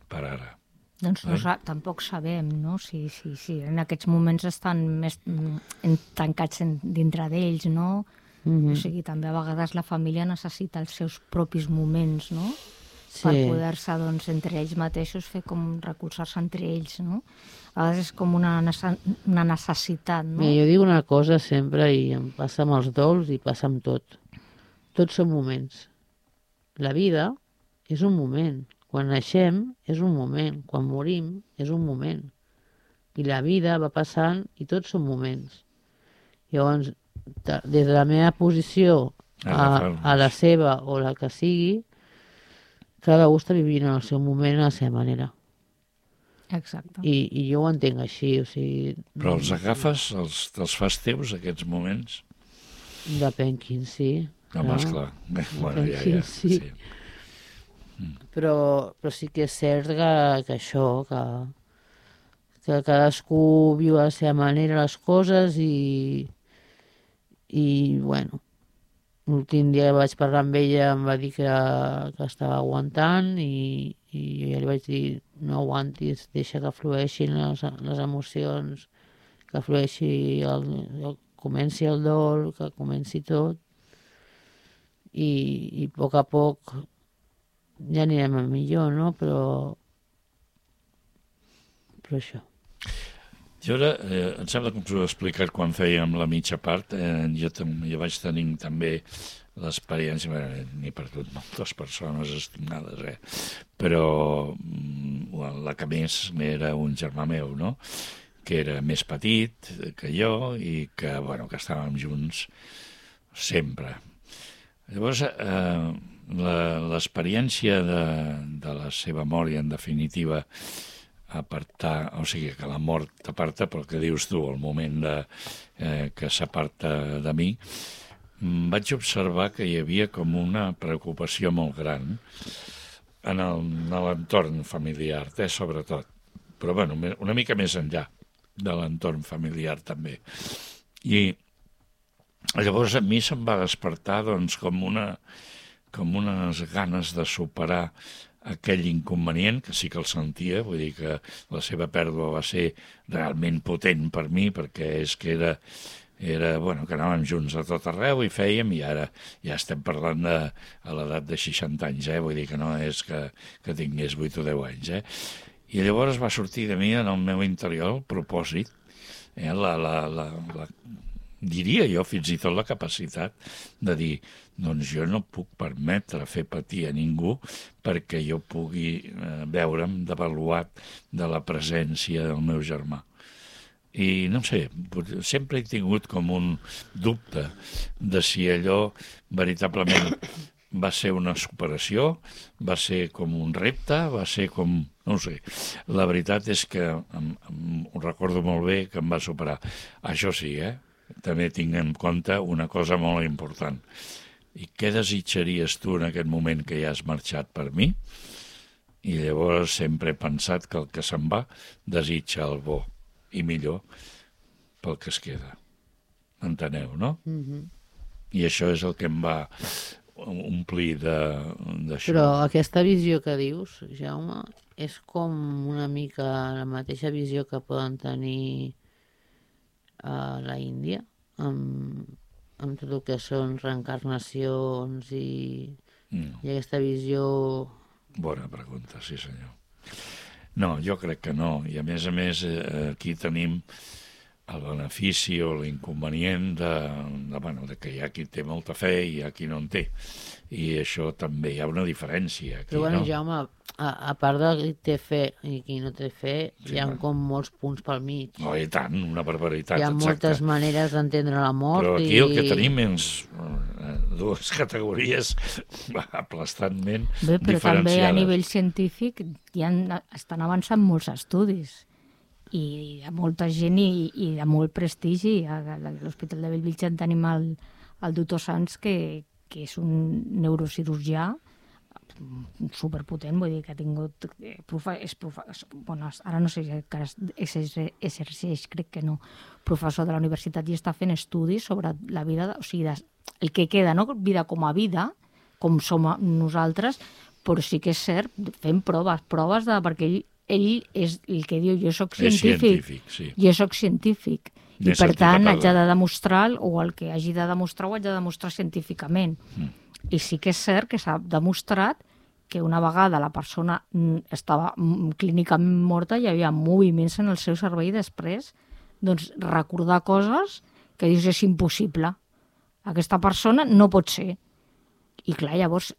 Per ara. Doncs tampoc sabem, no? Si en aquests moments estan més tancats dintre d'ells, no? O sigui, també a vegades la família necessita els seus propis moments, no? Per poder-se, doncs, entre ells mateixos fer com recolzar-se entre ells, no? A vegades és com una necessitat, no? Mira, jo dic una cosa sempre, i em passa amb els dols i passa amb tot. Tots són moments. La vida és un moment. Quan naixem és un moment, quan morim és un moment. I la vida va passant i tots són moments. Llavors, des de la meva posició a la seva o la que sigui, cada un està vivint el seu moment a la seva manera. Exacte. I jo ho entenc així, o sigui... Però els agafes, els fas teus, aquests moments? Depèn quin, sí. Home, esclar. Bueno, ja. Sí. Però sí que és cert que això, que cadascú viu a la seva manera les coses i bueno, l'últim dia que vaig parlar amb ella em va dir que estava aguantant i jo li vaig dir no aguantis, deixa que flueixin les emocions, que flueixi, comenci el dol, que comenci tot i a poc ja anirem a millor, no? Però això. Jo ara, em sembla que us ho he explicat quan fèiem la mitja part, jo vaig tenir també l'experiència, n'he perdut moltes persones estimades, però la que més era un germà meu, no? Que era més petit que jo i que estàvem junts sempre. Llavors, l'experiència de la seva mort i, en definitiva, o sigui, que la mort t'aparta, però que dius tu, el moment que s'aparta de mi, vaig observar que hi havia com una preocupació molt gran en l'entorn familiar, sobretot, però bueno, una mica més enllà de l'entorn familiar també. I llavors a mi se'm va despertar doncs com unes ganes de superar aquell inconvenient, que sí que el sentia, vull dir que la seva pèrdua va ser realment potent per mi, perquè és que era que anàvem junts a tot arreu i fèiem, i ara ja estem parlant a l'edat de 60 anys, vull dir que no és que tingués 8 o 10 anys. I llavors va sortir de mi en el meu interior el propòsit, diria jo fins i tot la capacitat de dir, doncs jo no puc permetre fer patir a ningú perquè jo pugui veure'm devaluat de la presència del meu germà. I no sé, sempre he tingut com un dubte de si allò veritablement va ser una superació, va ser com un repte, va ser com... no ho sé. La veritat és que ho recordo molt bé que em va superar. Això sí, també tinc en compte una cosa molt important. I què desitjaries tu en aquest moment que ja has marxat per mi? I llavors sempre he pensat que el que se'n va desitja el bo i millor pel que es queda. Enteneu, no? I això és el que em va omplir d'això. Però aquesta visió que dius, Jaume, és com una mica la mateixa visió que poden tenir a la Índia, amb tot el que són reencarnacions i aquesta visió Bona pregunta, sí senyor. No, jo crec que no. I a més, aquí tenim el benefici o l'inconvenient de que hi ha qui té molta fe i hi ha qui no en té. I això també hi ha una diferència aquí, Però bueno, no? Jaume, a part de qui té fe i qui no té fe, hi ha com molts punts pel mig. Oh, i tant, una barbaritat, hi ha moltes maneres d'entendre la mort. Però aquí el que tenim és dues categories aplastantment Bé, però diferenciades. també a nivell científic estan avançant molts estudis i hi ha molta gent i de molt prestigi. A l'Hospital de Bellvitge en tenim el doctor Sanz, que és un neurocirurgià superpotent, vull dir que ha tingut... Bueno, ara no sé si encara exerceix, crec que no, professor de la universitat, i està fent estudis sobre la vida, o sigui, el que queda, no vida com a vida, com som nosaltres, però sí que és cert, fent proves perquè ell és el que diu, jo soc científic, sí. Jo soc científic, i per tant haig de demostrar, o el que hagi de demostrar ho haig de demostrar científicament. I sí que és cert que s'ha demostrat que una vegada la persona estava clínicament morta, hi havia moviments en el seu cervell després, doncs recordar coses que dius és impossible. Aquesta persona no pot ser. I clar, llavors,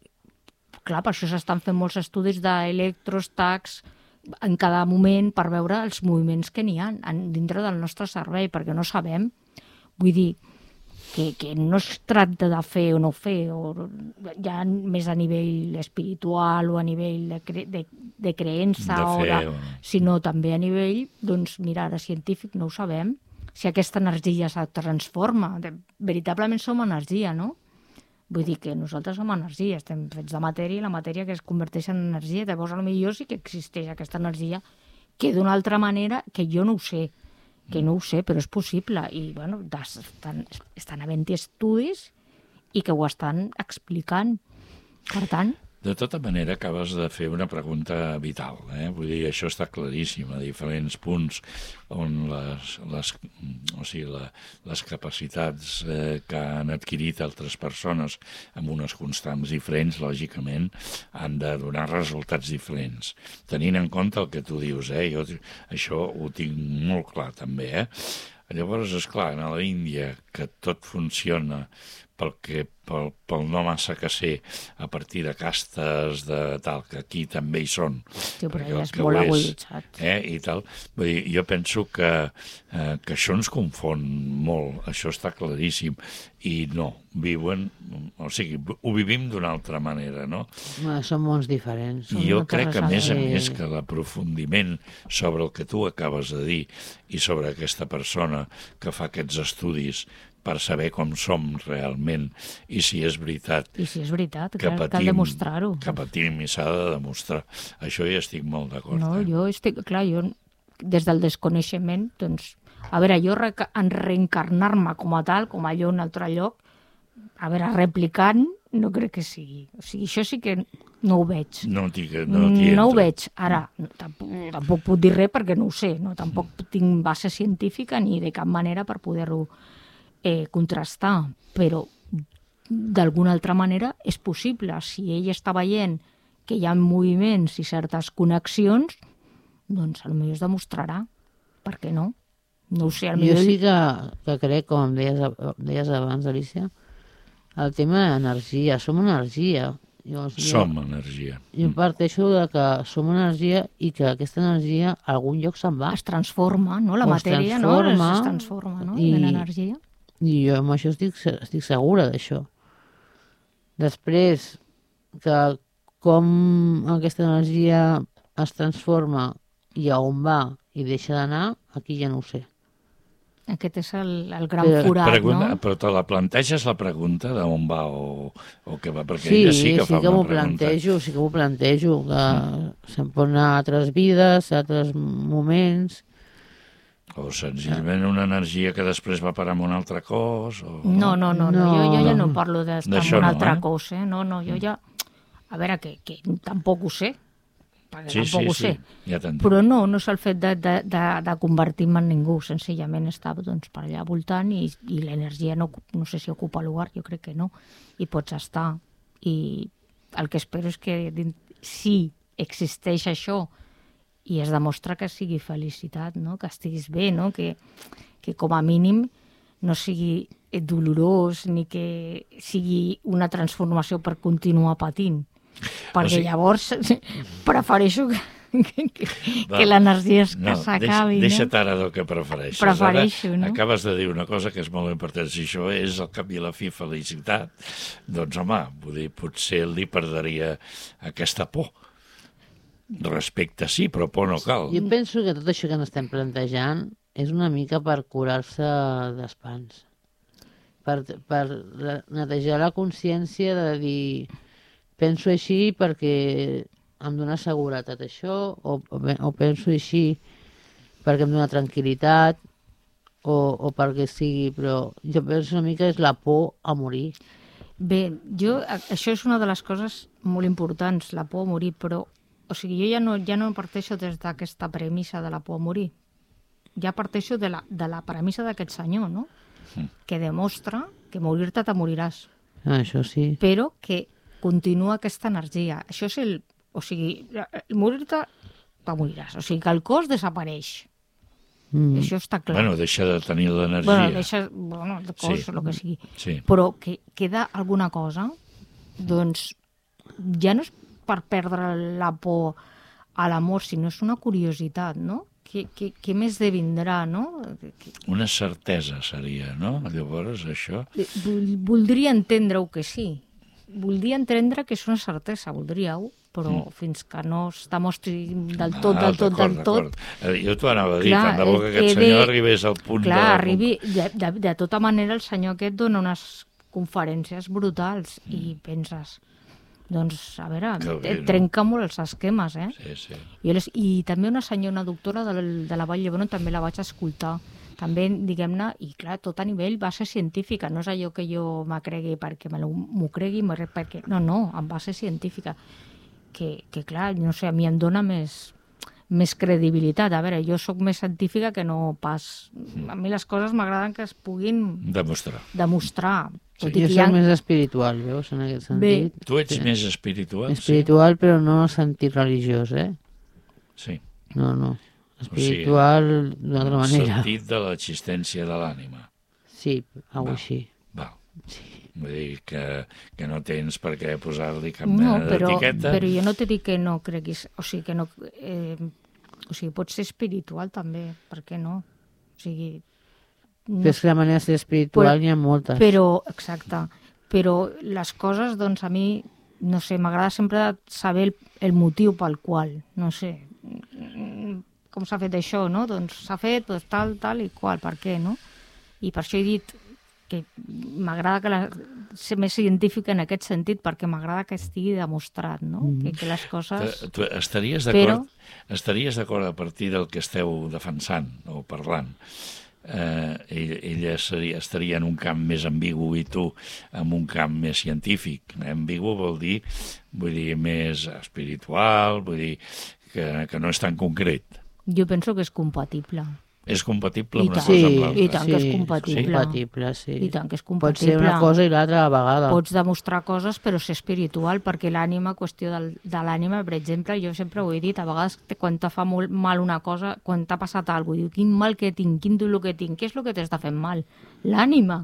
per això s'estan fent molts estudis d'electros, tacs, en cada moment per veure els moviments que n'hi ha dintre del nostre cervell, perquè no sabem. Vull dir que no es tracta de fer o no fer, o ja més a nivell espiritual o a nivell de creença, sinó també a nivell, doncs mira, ara científic no ho sabem, si aquesta energia es transforma. Veritablement som energia, no? Vull dir que nosaltres som energia, estem fets de matèria i la matèria que es converteix en energia. Llavors, potser sí que existeix aquesta energia que d'una altra manera, que jo no ho sé, però és possible. I, bueno, estan havent-hi estudis i que ho estan explicant. Per tant... De tota manera, acabes de fer una pregunta vital. Vull dir, això està claríssim, a diferents punts on les capacitats que han adquirit altres persones amb unes constants diferents, lògicament, han de donar resultats diferents. Tenint en compte el que tu dius, jo això ho tinc molt clar també. Llavors, esclar, a l'Índia, que tot funciona pel no massa que sé, a partir de castes de tal, que aquí també hi són. Sí, però ja és molt aguditzat. I tal. Vull dir, jo penso que això ens confon molt, això està claríssim, i no, viuen, o sigui, ho vivim d'una altra manera, no? Són mons diferents. I jo crec que, a més, que l'aprofundiment sobre el que tu acabes de dir i sobre aquesta persona que fa aquests estudis per saber com som realment i si és veritat. I si és veritat, cal demostrar-ho. Que patim i s'ha de demostrar. Això hi estic molt d'acord. No, jo estic, clar, jo des del desconeixement, doncs, a veure, jo en reencarnar-me com a tal, com allò en un altre lloc, a veure, replicant, no crec que sigui. O sigui, això sí que no ho veig. No ho veig. Ara, tampoc puc dir res perquè no ho sé, no? Tampoc tinc base científica ni de cap manera per poder-ho contrastar, però d'alguna altra manera és possible. Si ell està veient que hi ha moviments i certes connexions, doncs potser es demostrarà. Per què no? No ho sé. Jo sí que crec, com deies abans, Alicia, el tema d'energia. Som energia. Som energia. Jo parteixo de que som energia i que aquesta energia a algun lloc se'n va. Es transforma, no? La matèria es transforma, no? En energia. I jo amb això estic segura d'això. Després, que com aquesta energia es transforma i a on va i deixa d'anar, aquí ja no ho sé. Aquest és el gran forat, no? Però te la planteges la pregunta d'on va o què va? Perquè sí, ella sí que fa una pregunta. Sí que m'ho plantejo, que se'n pot anar a altres vides, a altres moments... O senzillament una energia que després va parar en un altre cos? No. Jo ja no parlo d'estar en un altre cos. No, jo ja... A veure, que tampoc ho sé. Perquè tampoc ho sé. Ja però no és el fet de convertir-me en ningú. Senzillament estava per allà voltant i l'energia no sé si ocupa lugar, jo crec que no. I pots estar. I el que espero és que si existeix això i es demostra que sigui felicitat, no? Que estiguis bé, no? Que com a mínim no sigui dolorós ni que sigui una transformació per continuar patint. Perquè llavors prefereixo que l'energia s'acabi. Deixa't ara del que prefereixes. Prefereixo, no? Acabes de dir una cosa que és molt important. Si això és al cap i a la fi felicitat, doncs home, vull dir, potser li perdria aquesta por. Respecte sí, però por no cal. Jo penso que tot això que ens estem plantejant és una mica per curar-se d'espants. Per netejar la consciència de dir penso així perquè em dona seguretat això, o penso així perquè em dona tranquil·litat, o perquè sigui, però jo penso una mica és la por a morir. Bé, això és una de les coses molt importants, la por a morir, però o sigui, jo ja no parteixo des d'aquesta premissa de la por a morir. Ja parteixo de la premissa d'aquest senyor, no? Que demostra que morir-te te moriràs. Això sí. Però que continua aquesta energia. Això és o sigui, morir-te te moriràs. O sigui, que el cos desapareix. Això està clar. Bueno, deixa de tenir l'energia. El cos, el que sigui. Sí. Però que queda alguna cosa, doncs ja no és per perdre la por a l'amor, sinó és una curiositat, no? Què més de vindrà, no? Una certesa seria, no? Llavors, això... Voldria entendre-ho que sí. Voldria entendre que és una certesa, voldríeu, però fins que no es demostri del tot. Jo t'ho anava a dir, tant de bo que aquest senyor arribés al punt de... Arribi, de tota manera el senyor aquest dona unes conferències brutals i penses... Doncs, a veure, trenca molt els esquemes, eh? Sí. I també una doctora de la Vall d'Hebron també la vaig escoltar. També, diguem-ne, i clar, tot a nivell base científica. No és allò que jo m'ho cregui perquè m'ho cregui, perquè... No, amb base científica. Que clar, no sé, a mi em dona més credibilitat. A veure, jo sóc més científica que no pas... A mi les coses m'agraden que es puguin... Demostrar. Jo soc més espiritual, veus, en aquest sentit. Tu ets més espiritual? Espiritual, però no en el sentit religiós, eh? Sí. No. Espiritual d'una altra manera. En el sentit de l'existència de l'ànima. Sí, així. Val. Sí. Vull dir que no tens per què posar-li cap mena d'etiqueta. Però jo no t'he dit que no creguis... O sigui, que no... O sigui, pot ser espiritual també, per què no? O sigui... Però és que la manera de ser espiritual n'hi ha moltes. Exacte. Però les coses, doncs, a mi, no sé, m'agrada sempre saber el motiu pel qual, no sé, com s'ha fet això, no? Doncs s'ha fet tal i qual, per què, no? I per això he dit que m'agrada ser més científica en aquest sentit, perquè m'agrada que estigui demostrat, no? Que les coses... Tu estaries d'acord a partir del que esteu defensant o parlant? Ella estaria en un camp més ambigu i tu en un camp més científic. Ambigu vol dir més espiritual, vull dir que no és tan concret. Jo penso que és compatible. És compatible una cosa amb l'altra. I tant que és compatible. Sí. I tant que és compatible. Pot ser una cosa i l'altra a la vegada. Pots demostrar coses però ser espiritual, perquè l'ànima, qüestió de l'ànima, per exemple, jo sempre ho he dit, a vegades quan te fa molt mal una cosa, quan t'ha passat alguna cosa, diu, quin mal que tinc, quin dolor que tinc, què és el que t'està fent mal? L'ànima.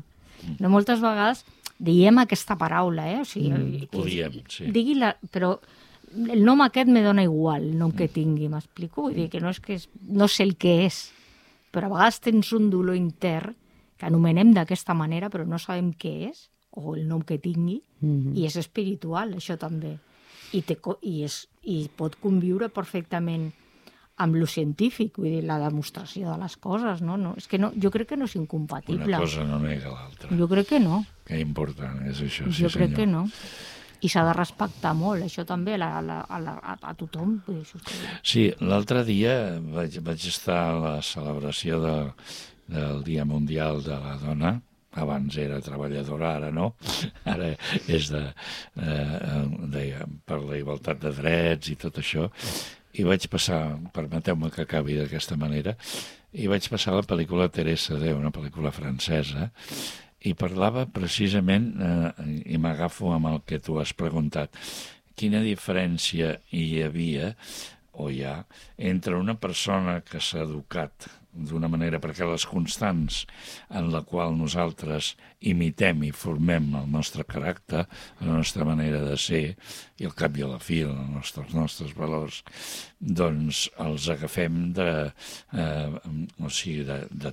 No, moltes vegades diem aquesta paraula, o sigui... Ho diem, sí. Digui-la, però el nom aquest me dona igual, el nom que tingui, m'explico? Vull dir que no és que no sé el que és, però a vegades tens un dolor intern que anomenem d'aquesta manera, però no sabem què és, o el nom que tingui, i és espiritual, això també. I pot conviure perfectament amb lo científic, vull dir, la demostració de les coses, no? És que no, jo crec que no és incompatible. Una cosa no nega l'altra. Jo crec que no. Que important és això, jo crec que no. I s'ha de respectar molt, això també, a tothom. Sí, l'altre dia vaig estar a la celebració del Dia Mundial de la Dona. Abans era treballadora, ara no. Ara és per la igualtat de drets i tot això. I vaig passar, permeteu-me que acabi d'aquesta manera, i vaig passar la pel·lícula Teresa de, una pel·lícula francesa, i parlava precisament, i m'agafo amb el que tu has preguntat, quina diferència hi havia o hi ha entre una persona que s'ha educat d'una manera, perquè les constants en la qual nosaltres imitem i formem el nostre caràcter, la nostra manera de ser, i al cap i a la fi els nostres valors, doncs els agafem de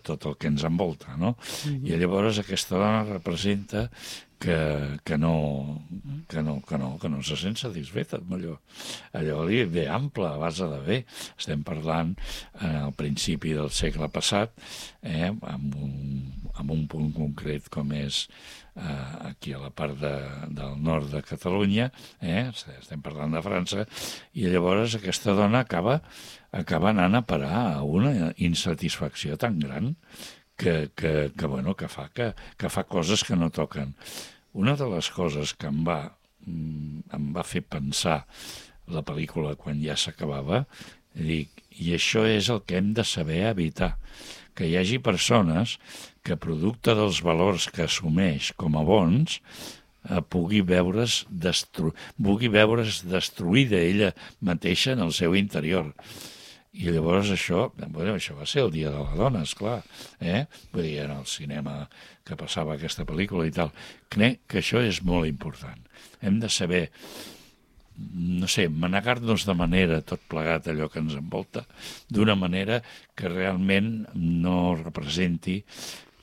tot el que ens envolta, no? I llavors aquesta dona representa que no se sent satisfeta amb allò li ve ample, a base de bé. Estem parlant al principi del segle passat, amb un punt concret com és aquí a la part del nord de Catalunya, estem parlant de França, i llavors aquesta dona acaba anant a parar a una insatisfacció tan gran que fa coses que no toquen. Una de les coses que em va fer pensar la pel·lícula quan ja s'acabava, dic, i això és el que hem de saber evitar, que hi hagi persones que, producte dels valors que assumeix com a bons, pugui veure's destruïda ella mateixa en el seu interior. I llavors això va ser el Dia de la Dona, esclar. Vull dir, en el cinema que passava aquesta pel·lícula i tal. Crec que això és molt important. Hem de saber, no sé, manegar-nos de manera, tot plegat allò que ens envolta, d'una manera que realment no representi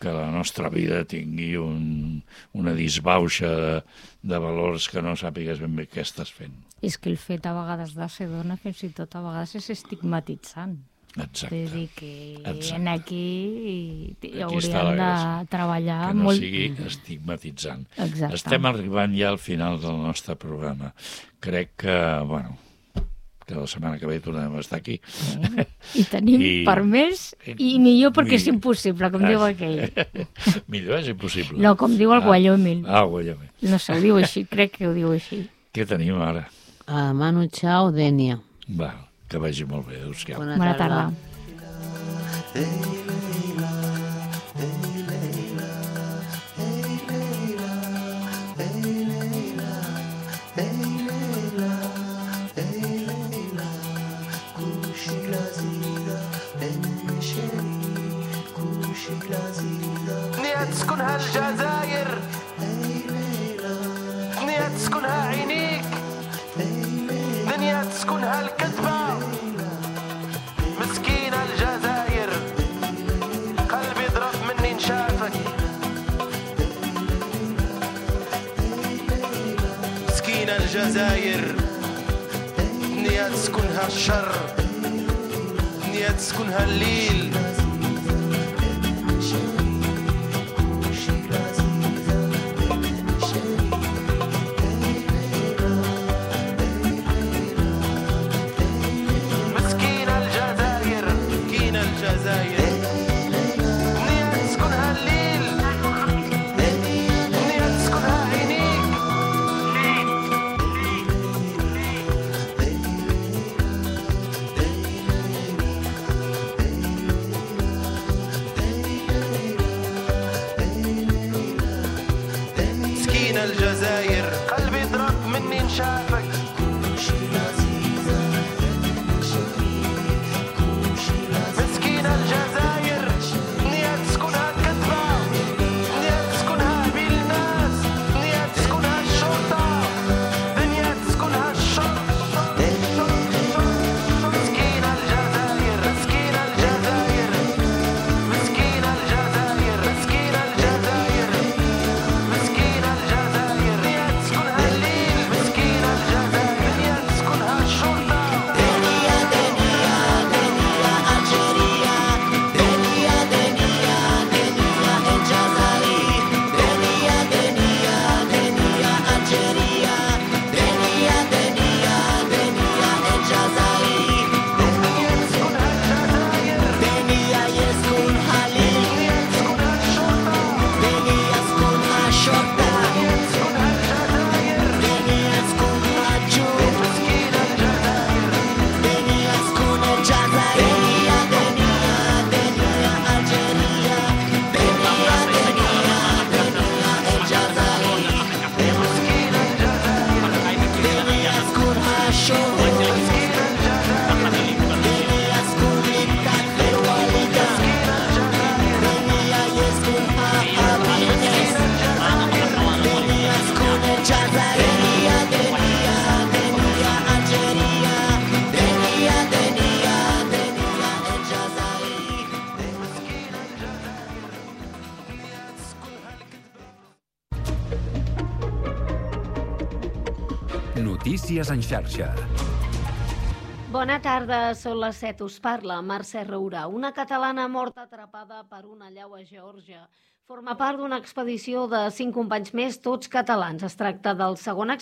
que la nostra vida tingui una disbauxa de valors que no sàpigues ben bé què estàs fent. És que el fet a vegades de ser dona fins i tot a vegades és estigmatitzant. Exacte. És a dir, que aquí està hauríem de treballar molt... Que no sigui estigmatitzant. Exacte. Estem arribant ja al final del nostre programa. Crec que, que la setmana que ve tornem a estar aquí. I tenim per més i millor perquè és impossible, com diu aquell. Millor és impossible. No, com diu el Guayomil. Guayomil. No sé, ho diu així, crec que ho diu així. Què tenim ara? Manu Chao, Dènia. Que vagi molt bé, adéu-siau. Bona tarda. تسكن هالجزائر دنيا تسكنها عينيك دنيا تسكنها الكذبة مسكينة الجزائر قلبي ضرب مني نشافك مسكينة الجزائر دنيا تسكنها الشر دنيا تسكنها الليل Notícies en xarxa. Bona tarda, són les 7, us parla Mercè Rourà. Una catalana morta atrapada per una allau a Geòrgia. Forma part d'una expedició de 5 companys més, tots catalans. Es tracta del segon accident